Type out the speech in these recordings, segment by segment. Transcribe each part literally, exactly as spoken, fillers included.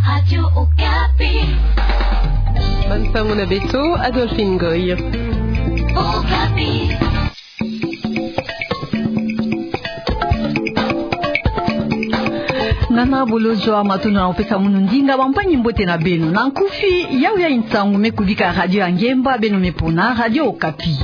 Radio Okapi. Bansango na beto, Adolphine Ngoy. Okapi. Nana Bolodjwa, matondo na kopesa munu ndinga, bampangi-mbote na beno. Na nkufi, yawu ya nsangu me kubika Radio ya Ngemba, beno me pona, Radio Okapi.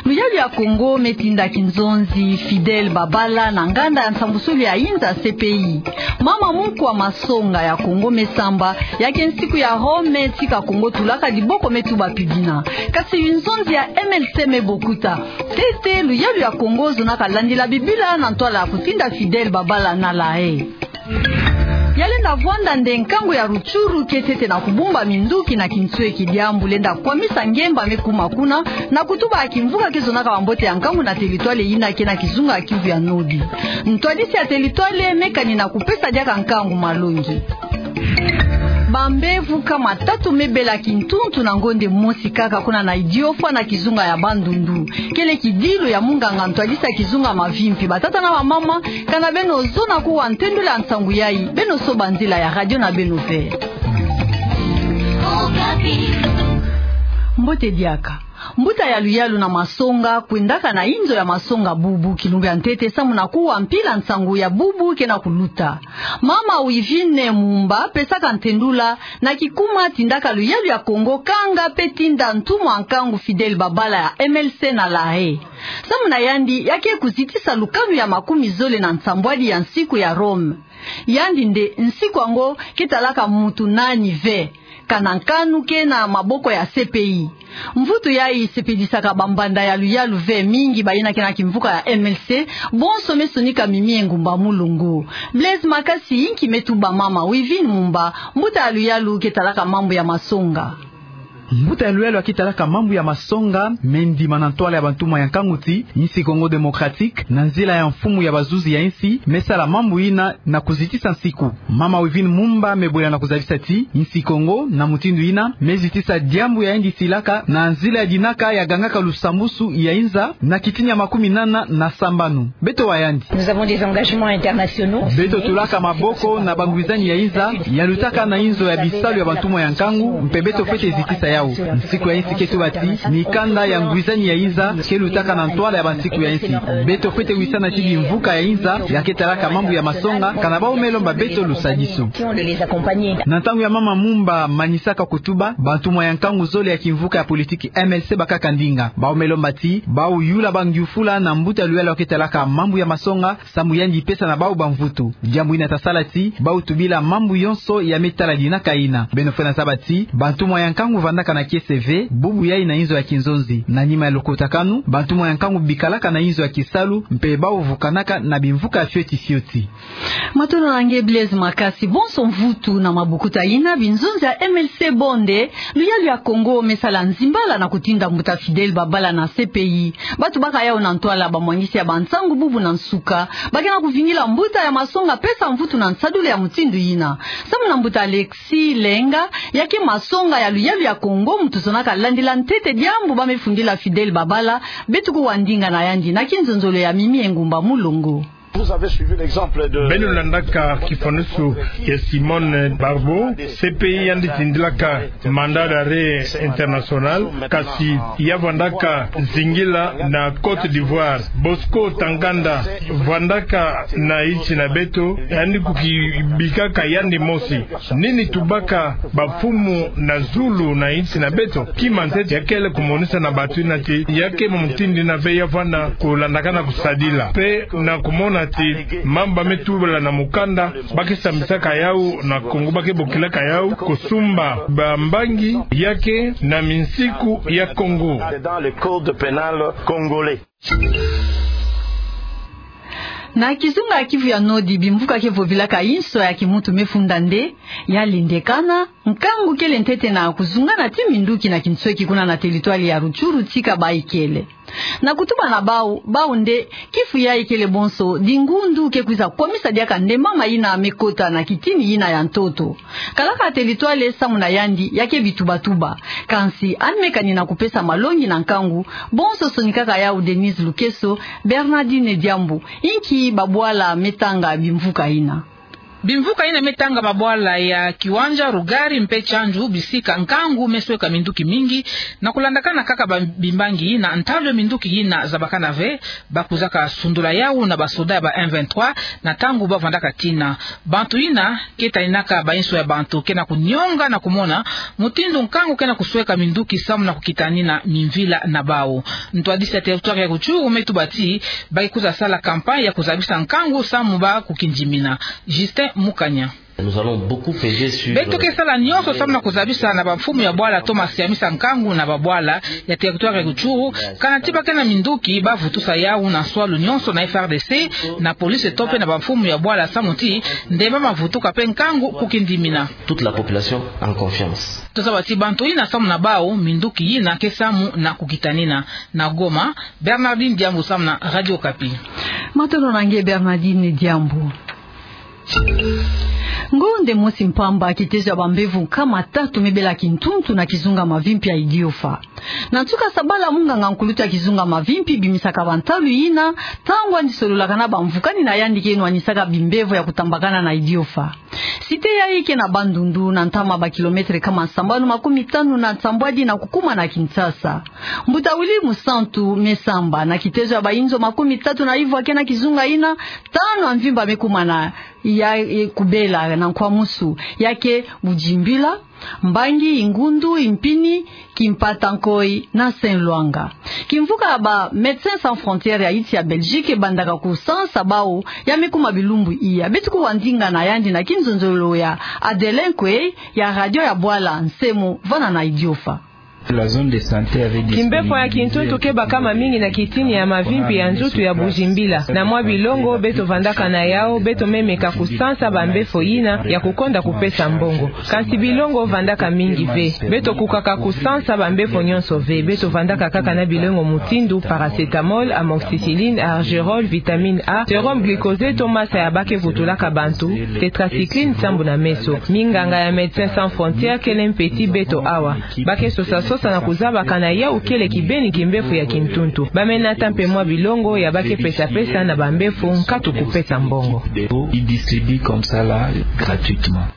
Luyalu ya Kongo me tinda kinzonzi Fidèle Babala na nganda ya nsambusulu ya inza, C P I. Mama Munkwa Masonga ya Kongo me samba, ya ke nsiku ya Rome, tika Kongo tulaka diboko me tuba pidina. Kasi binzonzi ya M L C me bokuta. Ntete luyalu ya Kongo zonaka landila Bibila na ntwala ya kutinda Fidèle Babala na La Haye. Ya lenda vwanda nde nkangu ya Rutshuru ke ntete na kubumba minduki na kinsweki, diambu lenda kwamisa Ngemba me kuma kuna, na kutuba ya kimvuka ke zonaka bambote ya nkangu na teritwale yina ke na kizunga ya Kivu ya Nodi. Ntwadisi ya teritwale me kani na kupesa diaka nkangu malongi. Bambevo kama tatu me bela kintuntu na ngonde mosi kaka kuna na Idiofa na kizunga ya Bandundu. Kele kidilu ya munganga ntwadisi ya kizunga Mavimpi. Batata na bamama, kana beno zona kuwa ntendula nsangu yayi, beno soba nzila ya radio na beno ve. Mbote diaka. Mbuta ya luyalu na Masonga kwendaka na inzo ya Masonga bubu kilumbu ya ntete samu na kuwa mpila nsangu ya bubu ke na kuluta. Mama Wivine Mumba pesaka ntendula na kikuma tindaka luyalu ya Kongo kanga pe tinda ntumwa nkangu Fidèle Babala ya M L C na La Haye. Samu na yandi, ya ke kuzitisa lukanu ya makumi zole na nsambwadi ya nsiku ya Rome. Yandi nde nsiku yango ke talaka mutu nani ve, kana nkanu ke na maboko ya C P I. Mvutu yayi sepelisaka bambanda ya luyalu ve mingi bayina ke na kimvuka ya M L C, bonso me sonika Mimi Engumba Mulongo. Blaise Makasi, inki me tuba mama Wivine Mumba, mbuta ya luyalu ke talaka mambu ya Masonga. Mbuta ya luyalu ya ke talaka mambu ya Masonga me ndima na ntwala ya bantumwa ya nkangu ti insi Congo Démocratique, na nzila ya mfumu ya bazuzi ya insi, me sala mambu yina na kuzitisa nsiku. Mama Wivine Mumba me bwela na kuzabisa ti insi Kongo, na mutindu yina, me zitisa diambu ya yandi silaka na nzila ya dinaka ya gangaka lusambusu ya inza na kitini ya makumi nana na sambanu. Beto wa yandi. Nous avons des engagements internationaux. Beto tulaka maboko na bangwizani ya inza ya lutaka na inzo ya bisalu ya bantumwa ya nkangu, mpe beto fwete zitisa yawu. Nsiku ya insi ke tuba ti mikanda ya ngwizani ya inza ke lutaka na ntwala ya bansiku ya insi. Beto fwete wisana ti bimvuka ya inza ya ke talaka mambu ya Masonga, kana bawu me lomba beto lusadisu. Na ntangu ya mama Mumba manisaka kutuba, bantumwa ya nkangu zole ya kimvuka ya politiki M L C bakaka ndinga. Bawu me lomba ti bawu yula bangyufula na mbuta ya luyalu ya ke talaka mambu ya Masonga, samu yandi pesa na bawu bamvutu. Diambu yina ta sala ti bawu tubila mambu yonso ya me tala dinaka yina. Beno fwena zaba ti bantumwa ya nkangu vandaka na kiese ve, bubu yayi na inzo ya kinzonzi. Na nima ya lukutakanu, bantumwa ya nkangu bikalaka na inzo ya kisalu, mpe bawu vukanaka na bimvuka fioti fioti. Matondo na nge Blaise Makasi. Bonso mvutu na mabokuta yina, binzonzi ya M L C bo nde luyalu ya Kongo me sala nzimbala na kutinda mbuta Fidèle Babala na C P I. Ba tubaka yawu na ntwala bamwangisi ya bansangu bubu na nsuka, ba ke na kuvingila mbuta ya Masonga pesa mvutu na nsadulu ya mutindu yina. Samu na mbuta Alexis Lenga, ya ke Masonga ya luyalu ya Kongo, muntu zonaka landila ntete diambu ba me fundila Fidèle Babala, beto kuwa ndinga na yandi na kinzonzolo ya Mimi Engumba Mulongo. Vous avez suivi l'exemple de... Beno landaka kifwanusu ya Simone Barbot, C P I yandi tindilaka mandat d'arrêt international, kasi ya vandaka zingila na Côte d'Ivoire. Bosco Ntaganda vandaka na insi na beto, yandi kukibikaka yandi mosi. Nini tubaka bamfumu na zulu na insi na beto? Kima ntete ya kele kumonisa na bato yina ti ya ke mutindu yina ve ya vanda kulandakana kusadila. Mpe na kumona ti mambu ba me tubila na mukanda, ba ke sambisaka yawu na Kongo, ba ke bokilaka yawu kusumba bambangi ya ke na minsiku ya Kongo. Dans le code pénal congolais. Na kizunga ya Kivu ya Nodi, bimvuka ke vovilaka inso ya kimuntu me funda nde ya lendekana, nkangu kele ntete na kuzungana ti minduki na kinsweki kuna na teritware ya Rutshuru tika ba ikele. Na kutuba na bawu, bawu nde kifu ya ikele bonso dingundu ke kwiza kwamisa diaka nde mama yina me kota na kitini yina ya ntoto. Kalaka teritware samu na yandi ya ke bitubatuba. Kansi yandi me kani na kupesa malongi na nkangu, bonso sonikaka yawu Denise Lukeso, Bernardine Diambu, inki babwala me tanga bimvuka yina. Bimvuka yina me tanga babwala ya Kiwanja, Rugari mpe Tsandju, bisika nkangu me sweka minduki mingi, na kulandakana kaka ba-, bimbangi yina, ntalu ya minduki yina zabakana ve, ba kuzaka sundula yawu na basoda ya ba M vingt-trois, na ntangu ba vandaka tina. Bantu yina ke taninaka bayinso ya bantu ke na kunionga na kumona mutindu nkangu ke na kusweka minduki samu na kukitanina mimvila na bawu. Ntwadisi ya territoire ya Rutshuru me tuba ti ba ke kwiza sala campagne ya kuzabisa nkangu samu ba kukindimina. Justin Mukanya. Nous allons beaucoup peser sur, euh, Beto ke sala nyonso samu na kuzabisa na bamfumu ya bwala to masiamisa nkangu na babwala ya territoire ya Rutshuru, kana ti ba ke na minduki ba vutusa yawu na nswalu nyonso na F R D C, na police to mpe na bamfumu ya bwala samu ti ndemba ma vutuka mpe nkangu kukindimina. Toute la population en confiance. Tozaba ti bantu yina samu na bawu minduki yina ke samu na kukitanina. Na Goma, Bernardine Diambu samu na Radio Okapi. Matondo na nge Bernardine Diambu. Ngonde mosi mpamba, kitezo ya bambevo nkama tatu me bela kintuntu na kizunga Mavimpi ya Idiofa. Na nsuka sabala, munganga nkulutu ya kizunga Mavimpi bimisaka bantalu yina, ntangu yandi sololaka na bamvukani na yandi ke nwanisaka bimbevo ya kutambakana na Idiofa. Cité yayi ke na Bandundu, na ntama ba kilomètre nkama sambanu makumi tanu na nsambwadi na kukuma na Kinshasa. Mbuta Willy Musantu me samba na kitezo ya bayinzo makumi tatu na ivwa ke na kizunga yina, tanu ya mvimba me kuma na ya, e, kubela na nkwamusu, ya ke Bujimbila, Mbangi, Ingundu, Impini, Kimpata Nkoyi na Saint Luanga. Kimvuka ya ba Médecins Sans Frontières ya insi ya Belgique bandaka kusansa bawu ya me kuma bilumbu iya. Beto kuwa ndinga na yandi na kinzonzolo ya Adelin Kwei ya radio ya bwala Nsemo vana na Idiofa. La zone de santé avait disponibilisé. Kimbevo ya kintuntu ke baka mamingi na kitini ya mavimpi ya nzutu ya Bujimbila. Na mwa bilongo beto vandaka na yawu, beto me meka kusansa bambevo yina ya kukonda kupesa mbongo. Kansi bilongo vandaka mingi ve. Beto kukaka kusansa bambevo nyonso ve. Beto vandaka kaka na bilongo mutindu paracétamol, amoxicilline, argérol, vitamine A, sérum glucosé to masa ya ba ke vutulaka bantu, tétracycline sambu na meso. Minganga ya Médecins Sans Frontières kele mpe ti beto awa. Ba ke sosa-sosa na kuzaba kana yawu kele kibeni kimbevo ya kintuntu. Ba me nata mpe mwa bilongo ya ba ke pesa-pesa na bambevo nkatu kupesa mbongo. Ils distribuent comme ça là, gratuitement.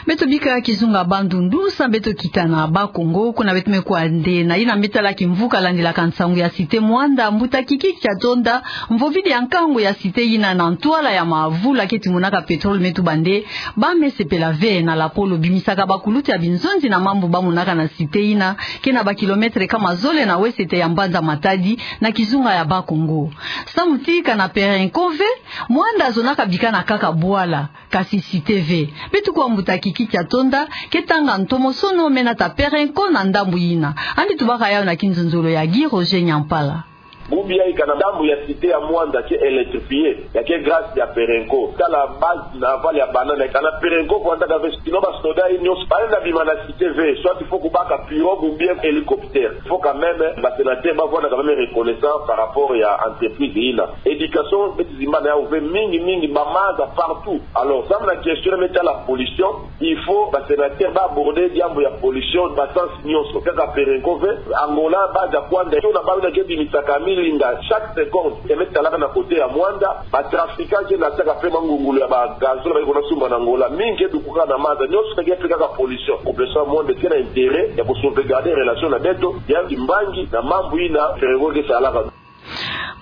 Beto bika kizunga Bandundu, sa beto kita na Bas-Congo, kuna beto me kwenda na yina me tala kimvuka landilaka nsangu ya Cité Muanda. Mbuta Kiki Kyatonda, mvovidi ya nkangu ya cité yina na ntwala ya mavula ke timonaka pétrole, me tuba nde ba me sepela ve na lapolo bimisaka bakulutu ya binzonzi na mambu ba monaka na cité yina, ke na ba kilomètre nkama zole na wesete ya mbanza Matadi, na kizunga ya Bas-Congo. Samu ti kana Perenco ve, Muanda azonaka bikana kaka bwala, kasi cité ve. Beto kuwa mbuta Kiki Kyatonda ke tanga ntomosono me nata Perenco na ndambu yina. Yandi tubaka yawu na kinzonzolo ya Guy Roger Nyampala. Bubu yayi kana ndambu ya cité ya Muanda ke électrifié, ya ke grâce ya Perenco. Tala base navale ya banane, kana Perenco vandaka ve, sinon basoda nyonso ba lenda bima na cité ve, soit il faut kubaka pirogue ou bien hélicoptère. Faut quand même, ba sénateurs ba vwanda quand même reconnaissant par rapport ya entreprise yina. Éducation, beto zimbana yawu ve mingi mingi, ba maza partout. Alors, samu na question me tala pollution, il faut ba sénateurs ba aborder diambu ya pollution, ba sens nyonso. Kaka Perenco ve, Angola, ba za kwanda, kiona bawu yina ke bimisaka milinga chaque seconde. E me talaka na côté ya Muanda, ba trafiquants ke natisaka mpe mangungulu ya ba gazole ba ke kona sumba na Angola. Mingi ke dukaka na maza, nyonso ke pekaka pollution. Population ya Muanda ke na intérêt ya ku sauvegarder relation na beto, ya kimbangi na mambu yina Perenco ke salaka.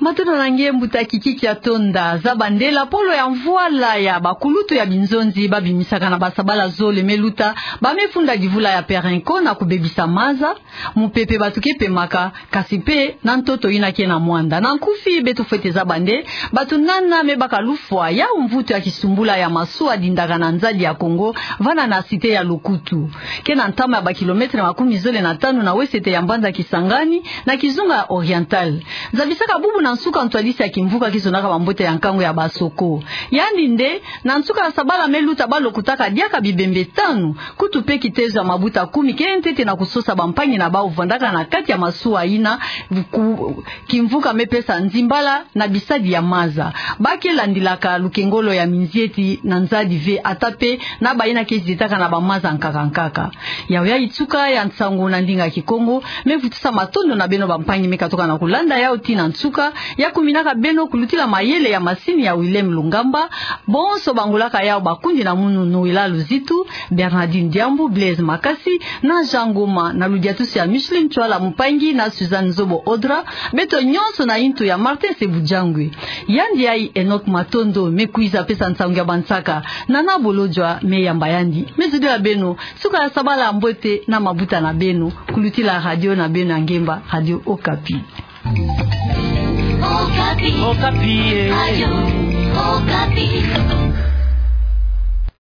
Matondo na nge mbuta Kiki Kyatonda. Zaba nde lapolo ya mvwala ya bakulutu ya binzonzi ba bimisaka na basabala zole me luta, ba me funda divula ya Perenco na kubebisa maza, mupepe bato ke pemaka, kasi mpe na ntoto yina ke na Muanda. Na nkufi beto fwete zaba nde bato nana me baka lufwa yawu mvutu ya kisumbula ya masuwa dindaka na nzadi ya Congo, vana na cité ya Lokutu. Ke na ntama ya ba kilomètre makumi zole na tanu na wesete ya mbanza Kisangani, na kizunga ya Oriental. Zabisaka bubu na nsuka ntwadisi ya kimvuka ke zonaka bambote ya nkangu ya Basoko. Yandi nde, na nsuka ya sabala me luta ba lokotaka diaka bibembe tanu, kutu mpe kitezo ya mabuta kumi ke ntete na kusosa bampangi na bawu vandaka na kati ya masuwa yina, ku-, kimvuka me pesa nzimbala na bisadi ya maza. Ba ke landilaka lukengolo ya minzieti na nzadi ve, ata mpe na bayina ke zietaka na bamaza nkaka nkaka. Yawu yayi nsuka ya nsangu na ndinga Kikongo, me vutusa matondo na beno bampangi me katoka na kulanda yawu tii na nsuka. Ya kuminaka beno kulutila mayele ya masini ya Willem Lungamba. Bonso bangolaka yawu bakundi na munu Noëlla Luzitu, Bernardine Diambu, Blaise Makasi, na Jean Ngoma, na ludiatusu ya Micheline Tshuala Mpangi na Suzanne Nzobo Odra, beto nyonso na intu ya Martin Sebujangwe. Yandi ayi Enoch Matondo me kwiza pesa nsangu ya bansaka, Nana Bolodjwa me yamba yandi. Me zodila beno suka ya sabala mbote na mabuta na beno, kulutila radio na beno ya ngemba, Radio Okapi. Okapi. Okapi, eh. Radio Okapi.